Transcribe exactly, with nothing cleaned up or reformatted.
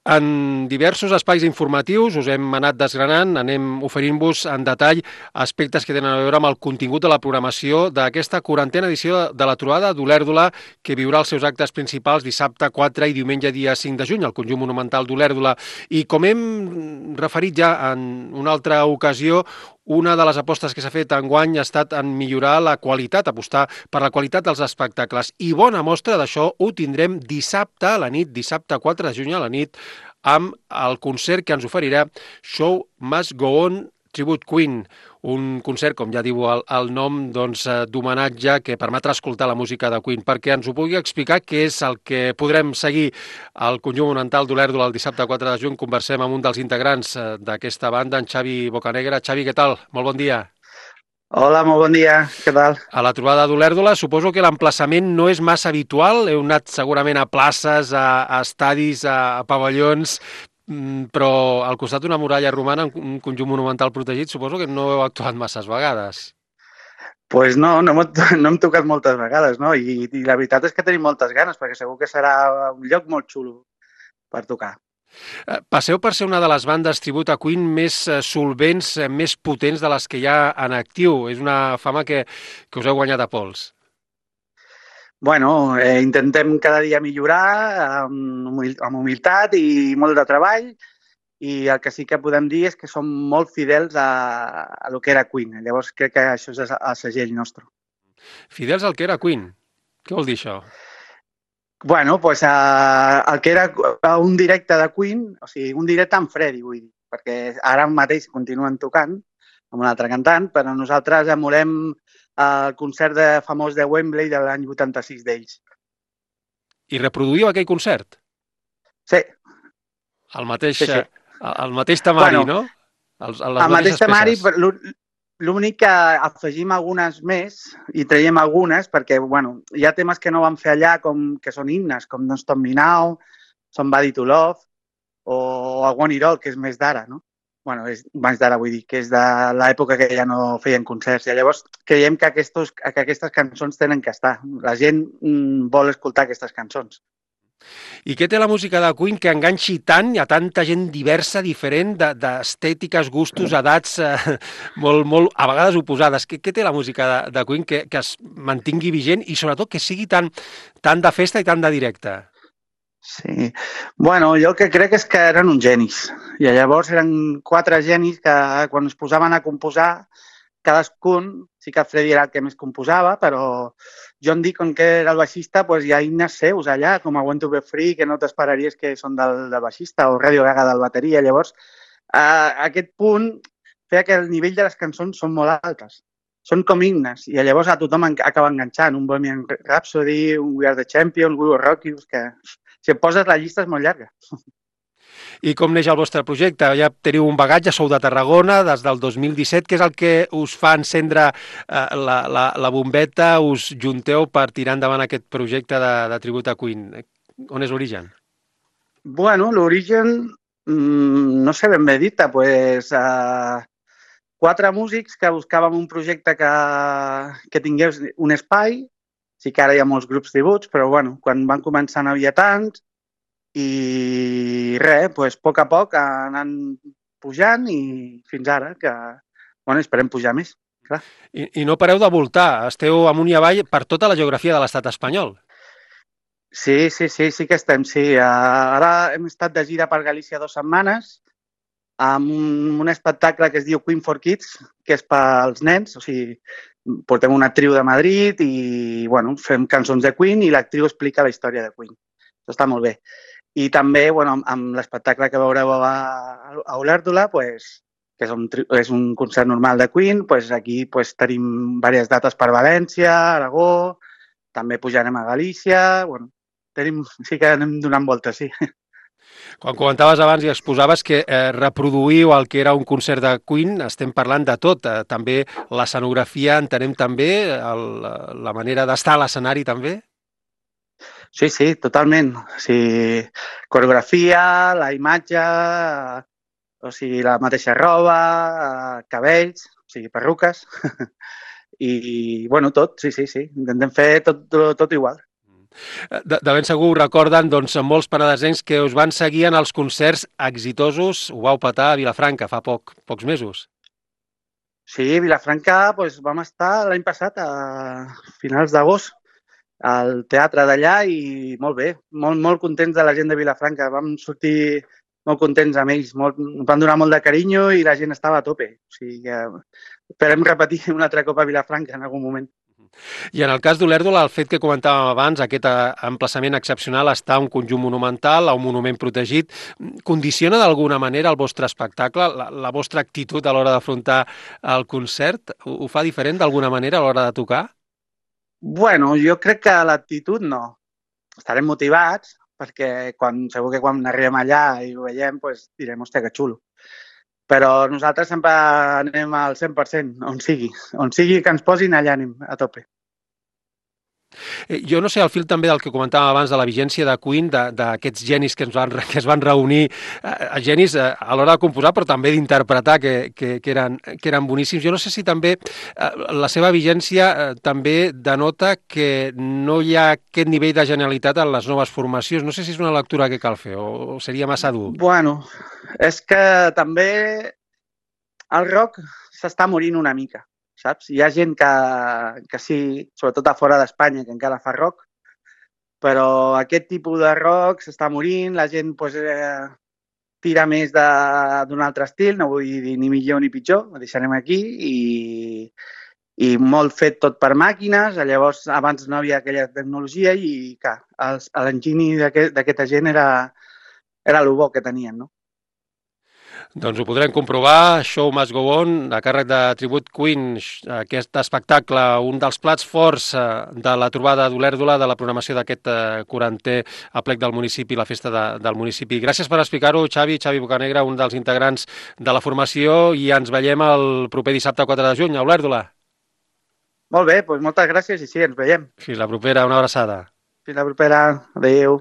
En diversos espais informatius us hem anat desgranant, anem oferint-vos en detall aspectes que tenen a veure amb el contingut de la programació d'aquesta quarantena edició de la trobada d'Olèrdola, que viurà els seus actes principals dissabte quatre i diumenge dia cinc de juny, al conjunt monumental d'Olèrdola. I com hem referit ja en una altra ocasió, una de les apostes que s'ha fet enguany ha estat en millorar la qualitat, apostar per la qualitat dels espectacles. I bona mostra d'això ho tindrem dissabte a la nit, dissabte quatre de juny a la nit, amb el concert que ens oferirà Show Must Go On Tribute Queen, un concert, com ja diu el, el nom, doncs, eh, d'homenatge que permetrà escoltar la música de Queen. Perquè ens ho pugui explicar què és el que podrem seguir al conjunt monumental d'Olèrdola el dissabte quatre de juny, conversem amb un dels integrants eh, d'aquesta banda, en Xavi Bocanegra. Xavi, què tal? Molt bon dia. Hola, molt bon dia, què tal? A la trobada d'Olèrdola suposo que l'emplaçament no és massa habitual, heu anat segurament a places, a, a estadis, a, a pavellons, mm, però al costat d'una muralla romana, un conjunt monumental protegit, suposo que no heu actuat masses vegades. Pues no, no, hem, no hem tocat moltes vegades, no? I, I la veritat és que tenim moltes ganes, perquè segur que serà un lloc molt xulo per tocar. Passeu per ser una de les bandes tribut a Queen més solvents, més potents de les que hi ha en actiu. És una fama que, que us heu guanyat a pols. Bueno, eh, intentem cada dia millorar amb, humil amb humilitat i molt de treball, i el que sí que podem dir és que som molt fidels a, a lo que era Queen. Llavors crec que això és el segell nostre. Fidels al que era Queen? Què vol dir això? Bueno, pues uh, el que era un directe de Queen, o sigui, un directe amb Freddie, vull dir, perquè ara mateix continuen tocant amb un altre cantant, però nosaltres emulem el concert de, famós de Wembley de l'any vuitanta-sis d'ells. I reproduïu aquell concert? Sí. El mateix, sí, sí. El mateix temari, bueno, no? Els, el mateix temari, l'únic que afegim algunes més i traiem algunes perquè, bueno, hi ha temes que no vam fer allà com que són himnes, com Don't Stop Me Now, Somebody to Love o I Want It All, que és més d'ara, no? Bueno, és més d'ara, vull dir, que és de l'època que ja no feien concerts. I llavors creiem que, aquestos, que aquestes cançons tenen que estar. La gent mm, vol escoltar aquestes cançons. I què té la música de Queen que enganxi tant a tanta gent diversa, diferent, d'estètiques, gustos, edats, eh, molt, molt, a vegades oposades? Què, què té la música de, de Queen que, que es mantingui vigent i sobretot que sigui tan, tan de festa i tan de directe? Sí. Bueno, jo el que crec és que eren uns genis. I llavors eren quatre genis que quan es posaven a composar, cadascun, sí que Freddie era el que més composava, però John Deacon, que era el baixista, doncs hi ha himnes seus allà, com I Want to Be Free, que no t'esperaries que són del, del baixista, o Radio Gaga del bateria. Llavors, a aquest punt feia que el nivell de les cançons són molt altes. Són com himnes, i llavors a tothom acaba enganxant. Un Bohemian Rhapsody, un We Are the Champions, We Will Rock You, que si et poses la llista és molt llarga. I com neix el vostre projecte? Ja teniu un bagatge, sou de Tarragona des del dos mil disset, que és el que us fa encendre eh, la, la, la bombeta, us junteu per tirar endavant aquest projecte de, de tribut a Queen. On és l'origen? Bueno, l'origen, mmm, no sé ben bé dit-te, pues, eh, quatre músics que buscàvem un projecte que, que tingués un espai. Sí que ara hi ha molts grups tributs, però bueno, quan van començar no hi havia tants, i res, doncs, a poc a poc anant pujant i fins ara, que bueno, esperem pujar més, clar. I, I no pareu de voltar, esteu amunt i avall per tota la geografia de l'estat espanyol. Sí, sí, sí, sí que estem, sí. Ara hem estat de gira per Galícia dues setmanes amb un, un espectacle que es diu Queen for Kids, que és pels nens, o sigui, portem una actriu de Madrid i, bueno, fem cançons de Queen i l'actriu explica la història de Queen. Això està molt bé. I també, bueno, amb l'espectacle que veureu a, a Olèrdola, pues, que és un, és un concert normal de Queen, pues aquí pues, tenim diverses dates per València, Aragó, també pujarem a Galícia, bueno, tenim, sí que anem donant voltes, sí. Quan comentaves abans i exposaves que eh, reproduïu el que era un concert de Queen, estem parlant de tot, eh, també l'escenografia, entenem també el, la manera d'estar a l'escenari també? Sí, sí, totalment. O sigui, coreografia, la imatge, o sigui, la mateixa roba, cabells, o sigui, perruques, i, bueno, tot, sí, sí, sí. Intentem fer tot, tot, tot igual. De, de ben segur ho recorden doncs, molts penedesencs que us van seguir en els concerts exitosos. Ho vau petar a Vilafranca fa poc, pocs mesos. Sí, a Vilafranca doncs, vam estar l'any passat a finals d'agost al teatre d'allà i molt bé, molt, molt contents de la gent de Vilafranca. Vam sortir molt contents amb ells, molt, van donar molt de carinyo i la gent estava a tope. O sigui que esperem repetir un altre cop a Vilafranca en algun moment. I en el cas d'Olèrdola, el fet que comentàvem abans, aquest emplaçament excepcional, està un conjunt monumental, a un monument protegit, condiciona d'alguna manera el vostre espectacle, la, la vostra actitud a l'hora d'afrontar el concert? Ho, ho fa diferent d'alguna manera a l'hora de tocar? Bueno, jo crec que l'actitud no. Estarem motivats perquè quan, segur que quan arribem allà i ho veiem doncs direm, hòstia, que xulo. Però nosaltres sempre anem al cent per cent, on sigui. On sigui que ens posin, allà anem a tope. Jo no sé, al fil també del que comentàvem abans de la vigència de Queen, d'aquests genis que, ens van, que es van reunir, eh, genis eh, a l'hora de composar, però també d'interpretar, que, que, que, eren, que eren boníssims. Jo no sé si també eh, la seva vigència eh, també denota que no hi ha aquest nivell de genialitat en les noves formacions. No sé si és una lectura que cal fer o, o seria massa dur. Bueno, és que també el rock s'està morint una mica. Saps? Hi ha gent que, que sí, sobretot a fora d'Espanya, que encara fa rock, però aquest tipus de rock s'està morint, la gent pues, eh, tira més d'un altre estil, no vull dir ni millor ni pitjor, ho deixarem aquí, i, i molt fet tot per màquines, llavors abans no havia aquella tecnologia i l'enginy d'aquesta gent era, era el bo que tenien, no? Doncs ho podrem comprovar. Show Must Go On, a càrrec de Tribute Queen, aquest espectacle, un dels plats forts de la trobada d'Olèrdola, de la programació d'aquest quarantè aplec del municipi, la festa de, del municipi. Gràcies per explicar-ho, Xavi, Xavi Bocanegra, un dels integrants de la formació, i ens veiem el proper dissabte quatre de juny a Olèrdola. Molt bé, doncs moltes gràcies i sí, ens veiem. Fins la propera, una abraçada. Fins la propera, adéu.